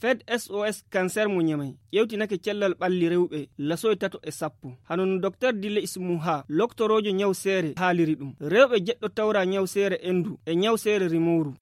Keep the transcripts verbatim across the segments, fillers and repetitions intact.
Fed S O S Cancer mo Ñamay ƴewtinake cellal ɓalli rewɓe lasoy tato e sappo. Hano no Doktor Dile Ismuha, loktoroojo ñaw seere, haaliri ɗum. Rewɓe jeɗɗo tawra ñaw seere endu e ñaw seere rimowru.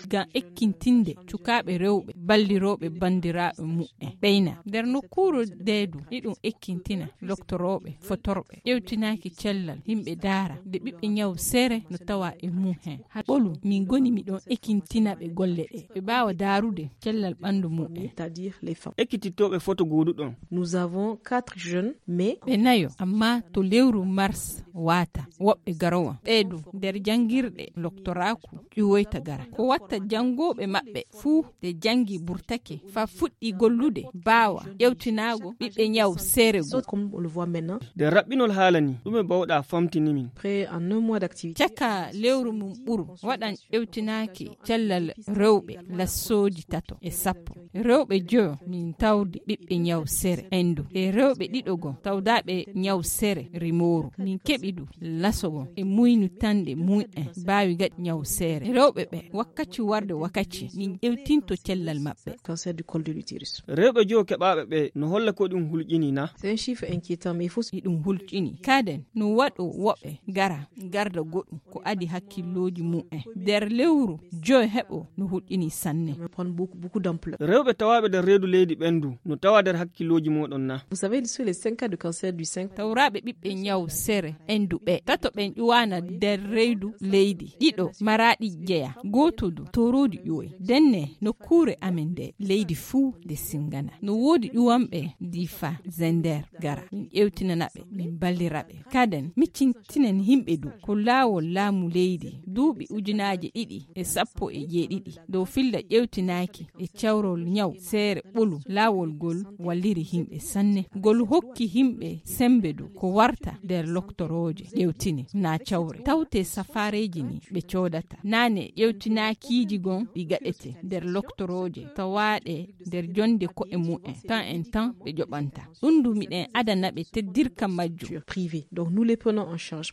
Ngam ekkintinde cukaaɓe rewɓe ballirooɓe banndiraaɓe muɓɓen ɓeyna nder nokkuuru deedu, iɗum ekkintina loktorooɓe fotorɓe ƴewtinaaki cellal yimɓe daara nde ɓiɓɓe ñaw seere no tawa e mum heen. Haa ɓolu min ngoni miɗon ekkintina ɓe golle ɗe ɓe mbaawa daarude cellal ɓanndu mumen. C'est-à-dire les femmes. Ekkitittooɓe foto gooduɗon. Nous avons quatre jeunes, mais ɓe nayo, amma to lewru mars waata, woɓɓe garowan. Ɓeedu nder janngirɗe loktoraaku ƴuwoyta gara. Ko watta janngooɓe maɓɓe fuu de janngi burtake fa fuɗɗi gollude, baawa ƴewtinaago ɓiɓɓe ñaw seere goo. Comme on le voit maintenant. Nde raɓɓinol haala ni, ɗume bawɗa famtini min? Près en un mois d'activité. Caka lewru mum ɓuru, waɗan ƴewtinaaki cellal rewɓe lassooji tato e sappo. Rewɓe joyo min tawdi ɓiɓɓe ñaw sere endu. E rewɓe ɗiɗo goo tawdaaɓe ñaw sere rimooru. Min keɓi ɗum laso goo e muynu tanɗe mum'en baawi gaɗi ñaw sere. Rewɓe ɓe wakkaci warde wakkaci min ƴewtinto cellal maɓɓe. Cancer du col de l'utérus. Rewɓe joyo keɓaaɓe ɓe no holla ko ɗum hulƴini na? C'est un chiffre inquiétant, mais il faut. Iɗum hulƴini. Kaden no waɗo woɓɓe gara garda goɗɗum ko adi hakkillooji mum'en. Nder lewru joyo heɓo no hulƴini sanne. Prendre beaucoup, beaucoup d'ampleur. Rewɓe tawaaɓe nder reedu leydi ɓendu no tawa nder hakkillooji mooɗon na? Vous savez, sur les cinq cas de cancer du sein. Tawraaɓe ɓiɓɓe ñaw sere endu ɓe tato ɓen ƴuwaana nder reedu leydi. Ɗiɗo maraaɗi jeya. Gooto du toroodi ƴuwoy. Denne nokkuure amen nde leydi fuu nde singana. No woodi ƴuwanɓe difa zender gara. Min ƴewtinana ɓe, min ballira ɓe. Kaden, miccintinen yimɓe du ko laawol laamu leydi duuɓi ujunaaje ɗiɗi e sappo e jeeɗiɗi dow filla ƴewtinaaki e cawrol ñaw seere ɓolu. Laawol gol walliri yimɓe sanne. Gol hokki yimɓe sembe du ko warta nder loktorooje ƴewtine na cawre. Tawte safaareeji ni ɓe coodata. Naane ƴewtinaakiiji gon ɗi gaɗete nder loktorooje tawaaɗe nder jonde ko'e mumen. Tan en tan ɓe ƴoɓanta. Ɗum du miɗen adana ɓe teddirka majjum. Privé. Donc nous les prenons en charge.